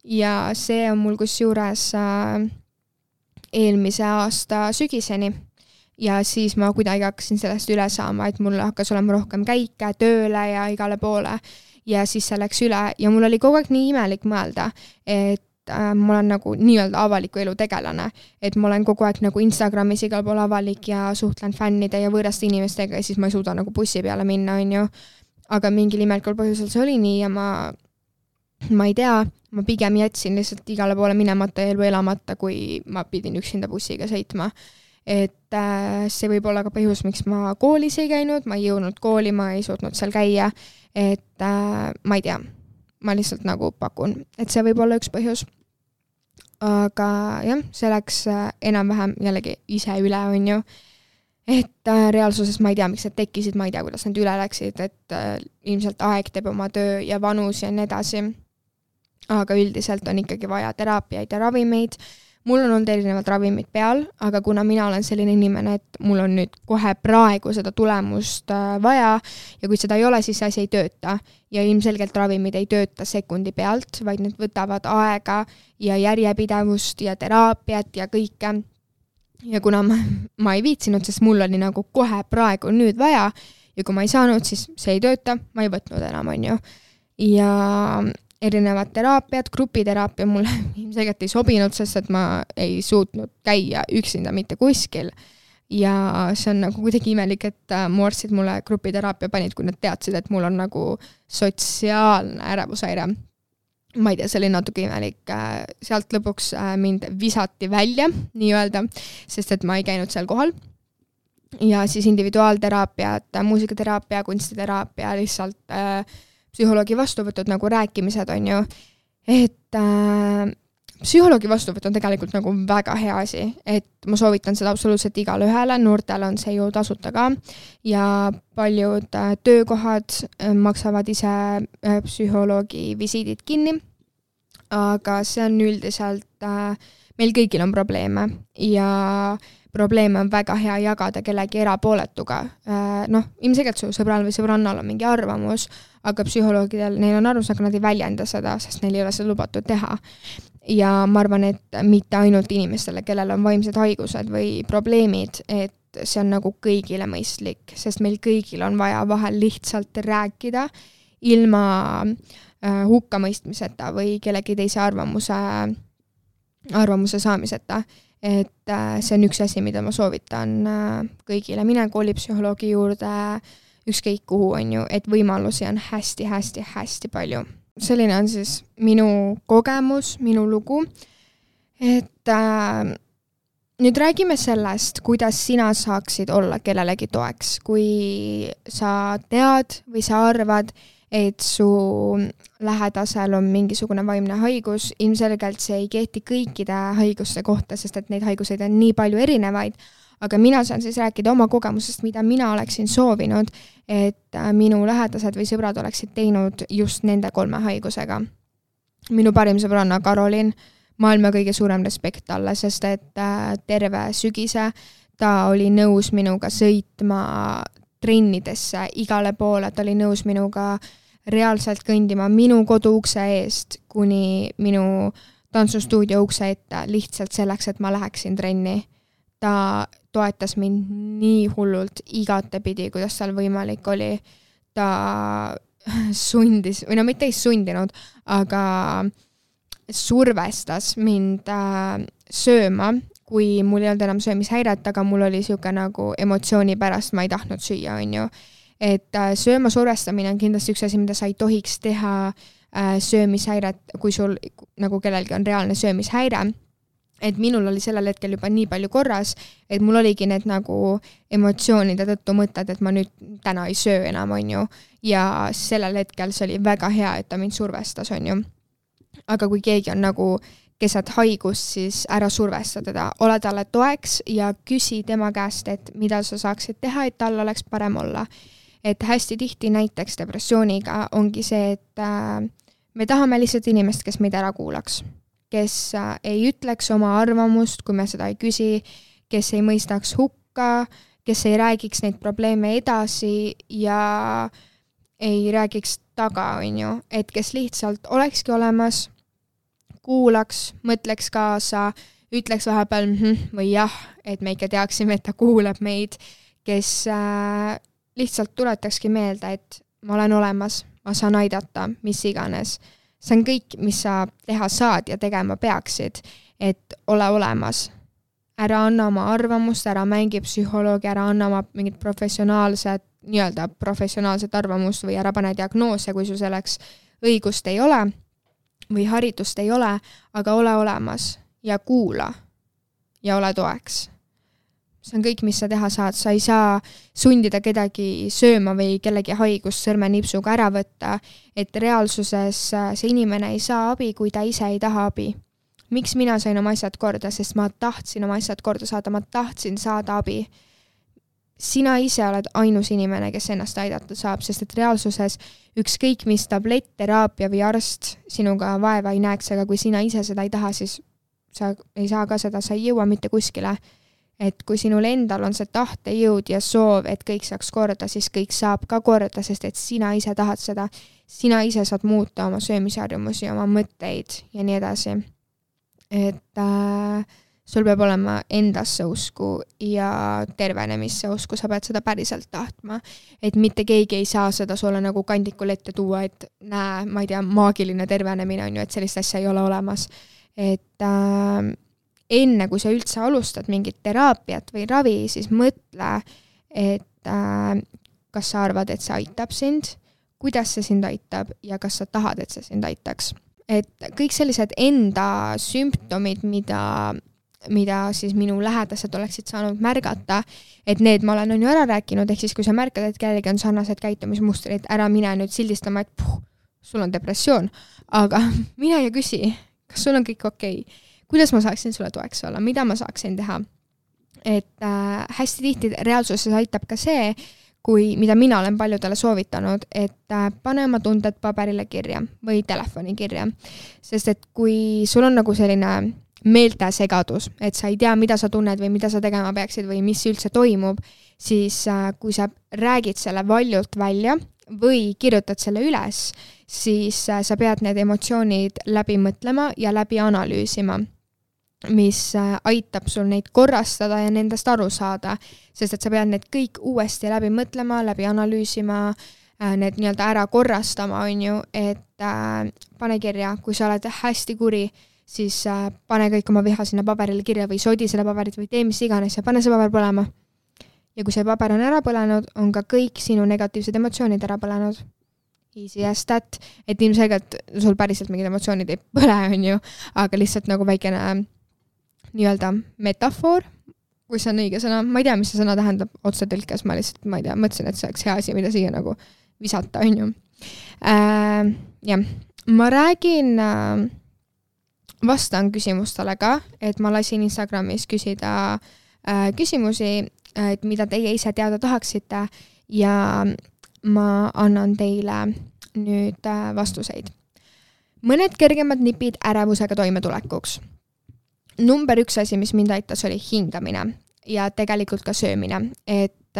Ja see on mul kusjuures eelmise aasta sügiseni. Ja siis ma kuidagi hakkasin sellest üle saama, et mul hakkas olema rohkem käike, tööle ja igale poole. Ja siis see läks üle ja mul oli kogu aeg nii imelik mõelda, et ma olen nagu nii-öelda avaliku elu tegelane, et ma olen kogu aeg nagu Instagramis igal pool avalik ja suhtlen fännide ja võõraste inimestega ja siis ma ei suuda nagu bussi peale minna, on ju. Aga mingil imelikul põhjusel see oli nii ja ma ei tea, ma pigem jätsin lihtsalt igale poole minemata ja elu elamata, kui ma pidin üksinda bussiga sõitma. Et see võib olla ka põhjus, miks ma koolis ei käinud, ma ei jõudnud kooli, ma ei suutnud seal käia, et ma ei tea, ma lihtsalt nagu pakun, et see võib olla üks põhjus. Aga jah, see läks enam-vähem jällegi ise üle, on ju. Et reaalsuses ma ei tea, miks need tekkisid, ma ei tea, kuidas need üle läksid, et ilmselt aeg teeb oma töö ja vanus ja nii edasi. Aga üldiselt on ikkagi vaja teraapiaid ja ravimeid. Mul on olnud erinevad ravimid peal, aga kuna mina olen selline inimene, et mul on nüüd kohe praegu seda tulemust vaja ja kui seda ei ole, siis see asi ei tööta. Ja ilmselgelt ravimid ei tööta sekundi pealt, vaid need võtavad aega ja järjepidevust ja teraapiat ja kõike. Ja kuna ma ei viitsinud, sest mul oli nagu kohe praegu nüüd vaja ja kui ma ei saanud, siis see ei tööta, ma ei võtnud enam, on ju. Ja erinevad teraapiad, grupiteraapia mulle ilmselgelt ei sobinud, sest et ma ei suutnud käia üksinda mitte kuskil. Ja see on nagu kuidagi imelik, et mu arstid mulle grupiteraapia panid, kui nad teadsid, et mul on nagu sotsiaalne ärevushäire. Ma ei tea, see oli natuke imelik. Sealt lõpuks mind visati välja, nii-öelda, sest et ma ei käinud seal kohal. Ja siis individuaalteraapiat, muusikateraapia, kunstiteraapia, lihtsalt psühholoogi vastuvõtud nagu rääkimised on ju, et psühholoogi vastuvõtt on tegelikult nagu väga hea asi, et ma soovitan seda absoluutselt igale ühele, noortel on see ju tasuta ka ja paljud töökohad maksavad ise psühholoogi visiidid kinni, aga see on üldiselt, meil kõigil on probleeme ja probleeme on väga hea jagada kellegi erapooletuga. Ilmselgelt su sõbral või sõbrannal on mingi arvamus, aga psühholoogidel, neil on arvamus, aga nad ei väljenda seda, sest neil ei ole seda lubatud teha. Ja ma arvan, et mitte ainult inimestele, kellel on vaimsed haigused või probleemid, et see on nagu kõigile mõistlik, sest meil kõigil on vaja vahel lihtsalt rääkida ilma hukkamõistmiseta või kellegi teise arvamuse saamiseta. Et see on üks asi, mida ma soovitan kõigile. Mine koolipsühholoogi juurde, ükskõik kuhu, on ju, et võimalusi on hästi palju. Selline on siis minu kogemus, minu lugu, et nüüd räägime sellest, kuidas sina saaksid olla kellelegi toeks, kui sa tead või sa arvad, et su lähedasel on mingisugune vaimne haigus, ilmselgelt see ei kehti kõikide haiguste kohta, sest et neid haiguseid on nii palju erinevaid, aga mina saan siis rääkida oma kogemusest, mida mina oleksin soovinud, et minu lähedased või sõbrad oleksid teinud just nende 3 haigusega. Minu parim sõbranna Karolin, maailma kõige suurem respekt talle, sest et terve sügise ta oli nõus minuga sõitma trennidesse igale poole, ta oli nõus minuga reaalselt kõndima minu kodu ukse eest kuni minu tantsustuudio ukse ette lihtsalt selleks, et ma läheksin trenni. Ta toetas mind nii hullult igatepidi, kuidas tal võimalik oli. Ta sundis, või no mitte ei sundinud, aga survestas mind sööma, kui mul ei olnud enam söömishäiret, aga mul oli siuke nagu emotsiooni pärast, ma ei tahtnud süüa, on ju. Et sööma survestamine on kindlasti üks asi, mida sa ei tohiks teha söömishäiret, kui sul nagu kellelgi on reaalne söömishäire. Et minul oli sellel hetkel juba nii palju korras, et mul oligi need nagu emotsioonide tõttu mõtted, et ma nüüd täna ei söö enam, on ju. Ja sellel hetkel see oli väga hea, et ta mind survestas, on ju. Aga kui keegi on nagu keset haigust, siis ära survesta teda. Ole talle toeks ja küsi tema käest, et mida sa saaksid teha, et tal oleks parem olla. Et hästi tihti näiteks depressiooniga ongi see, et me tahame lihtsalt inimest, kes meid ära kuulaks. Kes ei ütleks oma arvamust, kui me seda ei küsi, kes ei mõistaks hukka, kes ei räägiks neid probleeme edasi ja ei räägiks taga, on ju. Et kes lihtsalt olekski olemas, kuulaks, mõtleks kaasa, ütleks vahepeal või jah, et me ikka teaksime, et ta kuulab meid, kes lihtsalt tuletakski meelde, et ma olen olemas, ma saan aidata, mis iganes. See on kõik, mis sa teha saad ja tegema peaksid, et ole olemas. Ära anna oma arvamust, ära mängi psühholoogi, ära anna oma mingit professionaalset arvamust või ära pane diagnoose, kui sul selleks õigust ei ole või haridust ei ole, aga ole olemas ja kuula ja ole toeks. See on kõik, mis sa teha saad. Sa ei saa sundida kedagi sööma või kellegi haigust sõrmenipsuga ära võtta, et reaalsuses see inimene ei saa abi, kui ta ise ei taha abi. Miks mina sain oma asjad korda? Sest ma tahtsin oma asjad korda saada, ma tahtsin saada abi. Sina ise oled ainus inimene, kes ennast aidata saab, sest et reaalsuses ükskõik mis tablett, teraapia või arst sinuga vaeva ei näeks, aga kui sina ise seda ei taha, siis sa ei saa ka seda, sa ei jõua mitte kuskile. Et kui sinul endal on see tahtejõud ja soov, et kõik saaks korda, siis kõik saab ka korda, sest et sina ise tahad seda. Sina ise saad muuta oma söömisharjumusi, oma mõtteid ja nii edasi. Et sul peab olema endasse usku ja tervenemisse usku, sa pead seda päriselt tahtma. Et mitte keegi ei saa seda sulle nagu kandikul ette tuua, et näe, ma ei tea, maagiline tervenemine on ju, et sellist asja ei ole olemas. Et enne, kui sa üldse alustad mingit teraapiat või ravi, siis mõtle, et kas sa arvad, et see aitab sind, kuidas see sind aitab ja kas sa tahad, et see sind aitaks. Et kõik sellised enda sümptomid, mida siis minu lähedased oleksid saanud märgata, et need ma olen ju ära rääkinud, ehk siis kui sa märkad, et kellelgi on sarnased käitumismustrid, ära mine nüüd sildistama, et sul on depressioon, aga mine ja küsi, kas sul on kõik okei? Kuidas ma saaksin sulle toeks olla, mida ma saaksin teha. Et hästi tihti reaalsuses aitab ka see, mida mina olen paljudele soovitanud, et pane oma tunded paberile kirja või telefoni kirja. Sest et kui sul on nagu selline meeltesegadus, et sa ei tea, mida sa tunned või mida sa tegema peaksid või mis üldse toimub, siis kui sa räägid selle valjult välja või kirjutad selle üles, siis sa pead need emotsioonid läbi mõtlema ja läbi analüüsima, mis aitab sul neid korrastada ja nendest aru saada, sest et sa pead need kõik uuesti läbi mõtlema, läbi analüüsima, need nii-öelda ära korrastama, on ju, et pane kirja, kui sa oled hästi kuri, siis pane kõik oma viha sinna paberile kirja või sodi selle paberit või tee mis iganes ja pane see paber põlema. ja kui see paber on ära põlenud, on ka kõik sinu negatiivsed emotsioonid ära põlenud. Easy as that, et ilmselgelt sul päriselt mingid emotsioonid ei põle, on ju, aga lihtsalt nagu väikene nii-öelda metafoor, kui see on õige sõna, ma ei tea, mis see sõna tähendab otsetõlkes, ma lihtsalt, ma ei tea, mõtlesin, et see oleks hea asi, mida siia nagu visata, on ju. Jah, ma räägin, vastan küsimustele ka, et ma lasin Instagramis küsida küsimusi, et mida teie ise teada tahaksite ja ma annan teile nüüd vastuseid. Mõned kergemad nipid ärevusega toimetulekuks. Number 1 asi, mis mind aitas, oli hingamine ja tegelikult ka söömine. Et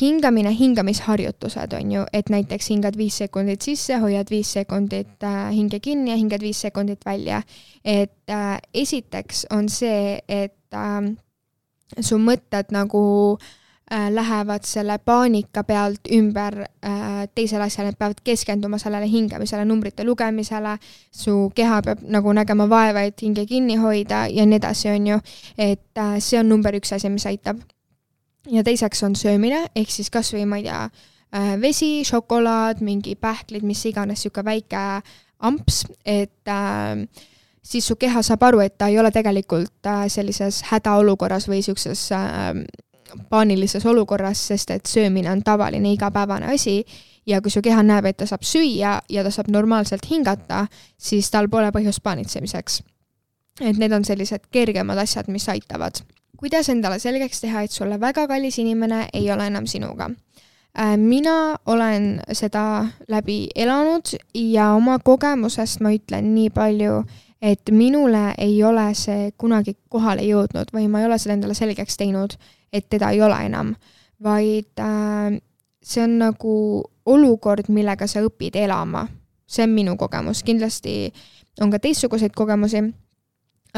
hingamine, hingamisharjutused on ju, et näiteks hingad 5 sekundit sisse, hoiad 5 sekundit hinge kinni ja hingad 5 sekundit välja. Et esiteks on see, et su mõtted nagu lähevad selle paanika pealt ümber teisele asjale, et peavad keskenduma sellele hingamisele, numbrite lugemisele, su keha peab nagu nägema vaeva, et hinge kinni hoida ja nii edasi on ju, et see on number 1 asi, mis aitab. Ja teiseks on söömine, ehk siis kas või, ma ei tea, vesi, šokolaad, mingi pähklid, mis iganes siuke väike amps, et siis su keha saab aru, et ta ei ole tegelikult sellises hädaolukorras või siukses paanilises olukorras, sest et söömine on tavaline igapäevane asi ja kui su keha näeb, et ta saab süüa ja ta saab normaalselt hingata, siis tal pole põhjust paanitsemiseks. Et need on sellised kergemad asjad, mis aitavad. Kuidas endale selgeks teha, et sulle väga kallis inimene ei ole enam sinuga? Mina olen seda läbi elanud ja oma kogemusest ma ütlen nii palju, et minule ei ole see kunagi kohale jõudnud või ma ei ole seda endale selgeks teinud, et teda ei ole enam, vaid see on nagu olukord, millega sa õpid elama. See on minu kogemus. Kindlasti on ka teistsuguseid kogemusi,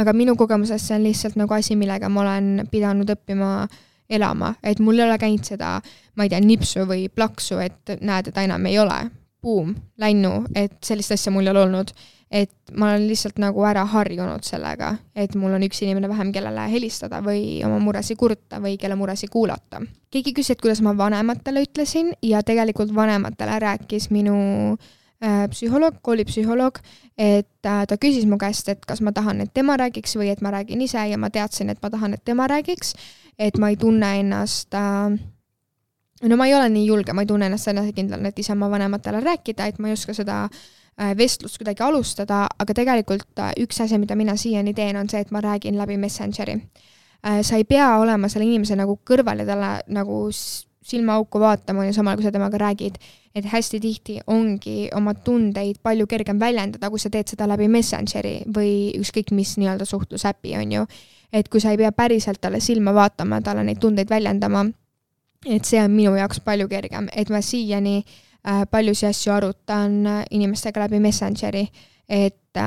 aga minu kogemuses see on lihtsalt nagu asi, millega ma olen pidanud õppima elama. Et mul ei ole käinud seda, ma ei tea, nipsu või plaksu, et näed, et enam ei ole. Boom, läinu, et sellist asja mul ei ole olnud. Et ma olen lihtsalt nagu ära harjunud sellega, et mul on üks inimene vähem, kellele helistada või oma muresi kurta või kelle muresi kuulata. Keegi küsis, et kuidas ma vanematele ütlesin ja tegelikult vanematele rääkis minu psühholoog, koolipsühholoog, et ta küsis mu käest, et kas ma tahan, et tema räägiks või et ma räägin ise ja ma teadsin, et ma tahan, et tema räägiks, et ma ei tunne ennast, no ma ei ole nii julge, ma ei tunne ennast enesekindlalt, et ise oma vanematele rääkida, et ma ei oska seda vestlust kuidagi alustada, aga tegelikult üks asi, mida mina siiani teen, on see, et ma räägin läbi Messengeri. Sa ei pea olema selle inimese nagu kõrval ja talle nagu silmaauku vaatama ja samal, kui sa temaga räägid, et hästi tihti ongi oma tundeid palju kergem väljendada, kui sa teed seda läbi Messengeri või ükskõik mis nii-öelda suhtlusäpi on ju. Et kui sa ei pea päriselt talle silma vaatama, talle neid tundeid väljendama, et see on minu jaoks palju kergem, et ma siiani paljusi asju arutan inimestega läbi Messengeri, et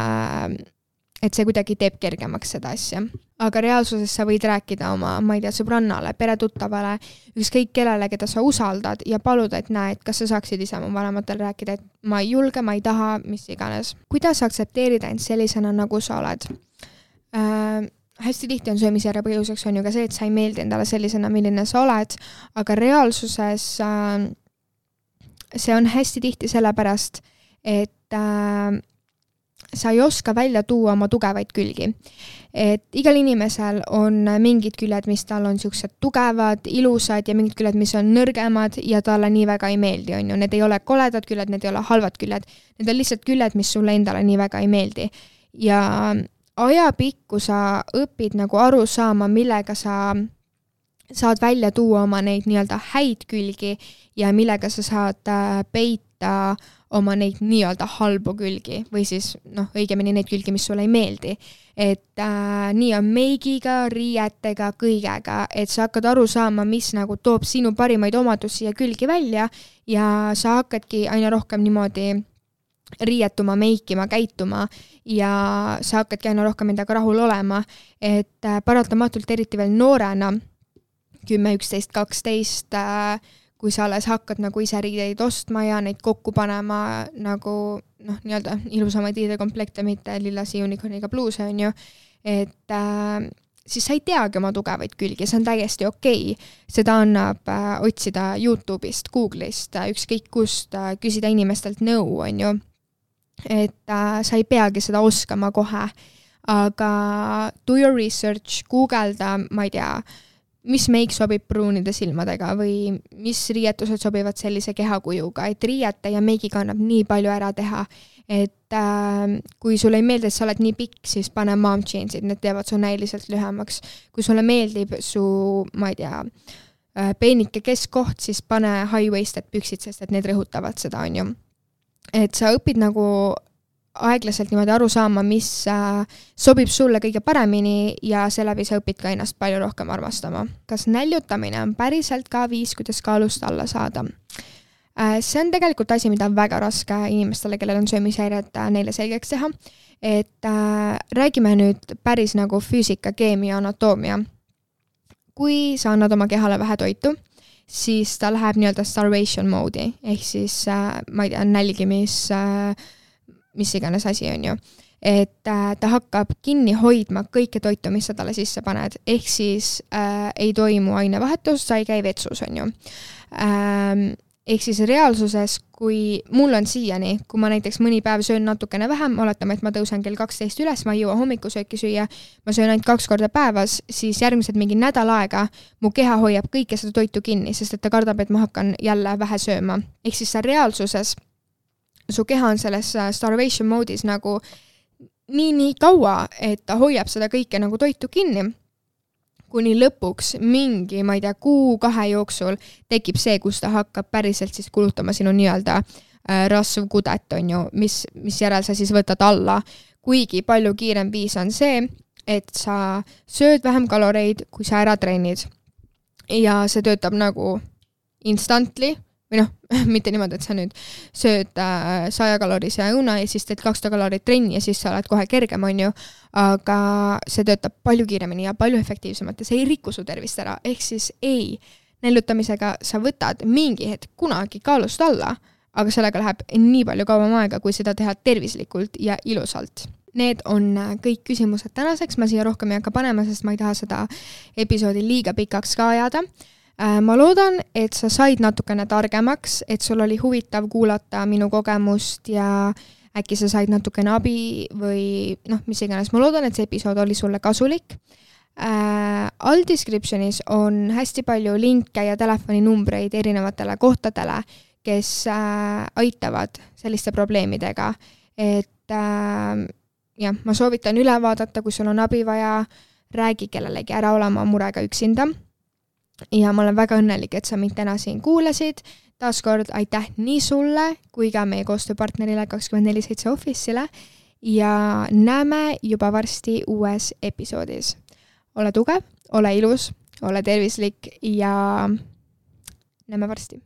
see kuidagi teeb kergemaks seda asja. Aga reaalsuses sa võid rääkida oma, ma ei tea, sõbrannale, peretuttavale, ükskõik kellele, keda sa usaldad ja paluda, et näed, kas sa saaksid ise oma vanematele rääkida, et ma ei julge, ma ei taha, mis iganes. Kuidas aktsepteerida end sellisena, nagu sa oled? Hästi tihti on söömisjärje põhjuseks on ju ka see, et sa ei meeldi endale sellisena, milline sa oled, aga reaalsuses see on hästi tihti sellepärast, et sa ei oska välja tuua oma tugevaid külgi. Et igal inimesel on mingid küljed, mis tal on siuksed tugevad, ilusad ja mingid küljed, mis on nõrgemad ja talle nii väga ei meeldi, on ju. Need ei ole koledad küljed, need ei ole halvad küljed. Need on lihtsalt küljed, mis sulle endale nii väga ei meeldi. Ja ajapikku sa õpid nagu aru saama, millega sa saad välja tuua oma neid nii-öelda häid külgi ja millega sa saad peita oma neid nii-öelda halbu külgi või siis õigemini neid külgi, mis sulle ei meeldi. Et nii on meigiga, riietega, kõigega, et sa hakkad aru saama, mis nagu toob sinu parimaid omadusi ja külgi välja ja sa hakkadki aina rohkem niimoodi riietuma, meikima, käituma ja sa hakkadki aina rohkem endaga rahul olema, et paratamatult eriti veel noorena 10, 11, 12, kui sa alles hakkad nagu ise riideid ostma ja neid kokku panema nagu nii-öelda ilusamaid riidekomplekte, mitte lillasi unicorniga bluuse on ju, et siis sa ei teagi oma tugevaid külgi, see on täiesti okei. Seda annab otsida YouTube'ist, Google'ist, ükskõik kust, küsida inimestelt nõu, on ju. Et sa ei peagi seda oskama kohe, aga do your research, guugelda, ma ei tea, mis meik sobib pruunide silmadega või mis riietused sobivad sellise kehakujuga, et riiete ja meigiga annab nii palju ära teha, et kui sulle ei meeldi, et sa oled nii pikk, siis pane mom jeansid, need teevad su näiliselt lühemaks. Kui sulle meeldib su, ma ei tea, peenike keskkoht, siis pane high-waisted püksid, sest et need rõhutavad seda, on ju. Et sa õpid nagu aeglaselt niimoodi aru saama, mis sobib sulle kõige paremini ja seeläbi sa õpid ka ennast palju rohkem armastama. Kas näljutamine on päriselt ka viis, kuidas kaalust alla saada? See on tegelikult asi, mida on väga raske inimestele, kellel on söömishäired, neile selgeks teha. Et räägime nüüd päris nagu füüsika, keemia, anatoomia. Kui sa annad oma kehale vähe toitu, siis ta läheb nii-öelda starvation mode'i, ehk siis, ma ei tea, nälgimis, mis iganes asi on ju. Et ta hakkab kinni hoidma kõike toitu, mis sa talle sisse paned, ehk siis ei toimu ainevahetus, sa ei käi vetsus, on ju. Ehk siis reaalsuses, kui mul on siiani, kui ma näiteks mõni päev söön natukene vähem, oletame, et ma tõusen kell 12 üles, ma ei jõua hommikusööki süüa, ma söön ainult 2 korda päevas, siis järgmised mingi nädal aega mu keha hoiab kõike seda toitu kinni, sest et ta kardab, et ma hakkan jälle vähe sööma. Ehk siis sa reaalsuses, su keha on selles starvation mode'is nagu nii kaua, et ta hoiab seda kõike nagu toitu kinni. Kuni lõpuks mingi, ma ei tea, 1-2 jooksul tekib see, kus ta hakkab päriselt siis kulutama sinu nii-öelda rasv kudet, on ju, mis järel sa siis võtad alla. Kuigi palju kiirem viis on see, et sa sööd vähem kaloreid, kui sa ära trennid. Ja see töötab nagu instantly, või noh, mitte niimoodi, et sa nüüd sööd 100-kalorise õuna ja siis teed 200 kalorit trenni ja siis sa oled kohe kergem, on ju, aga see töötab palju kiiremini ja palju efektiivsemalt ja see ei riku su tervist ära, ehk siis ei, näljutamisega sa võtad mingi hetk kunagi kaalust alla, aga sellega läheb nii palju kauem aega, kui seda teha tervislikult ja ilusalt. Need on kõik küsimused tänaseks, ma siia rohkem ei hakka panema, sest ma ei taha seda episoodi liiga pikaks ka ajada. Ma loodan, et sa said natukene targemaks, et sul oli huvitav kuulata minu kogemust ja äkki sa said natukene abi või noh, mis iganes. Ma loodan, et see episood oli sulle kasulik. All descriptionis on hästi palju linke ja telefoninumbreid erinevatele kohtadele, kes aitavad selliste probleemidega. Et jah, ma soovitan üle vaadata, kui sul on abi vaja, räägi kellelegi ära olema murega üksinda. Ja ma olen väga õnnelik, et sa mind täna siin kuulasid. Taaskord aitäh nii sulle kui ka meie koostööpartnerile 24/7 Office'ile ja näeme juba varsti uues episoodis. Ole tugev, ole ilus, ole tervislik ja näeme varsti.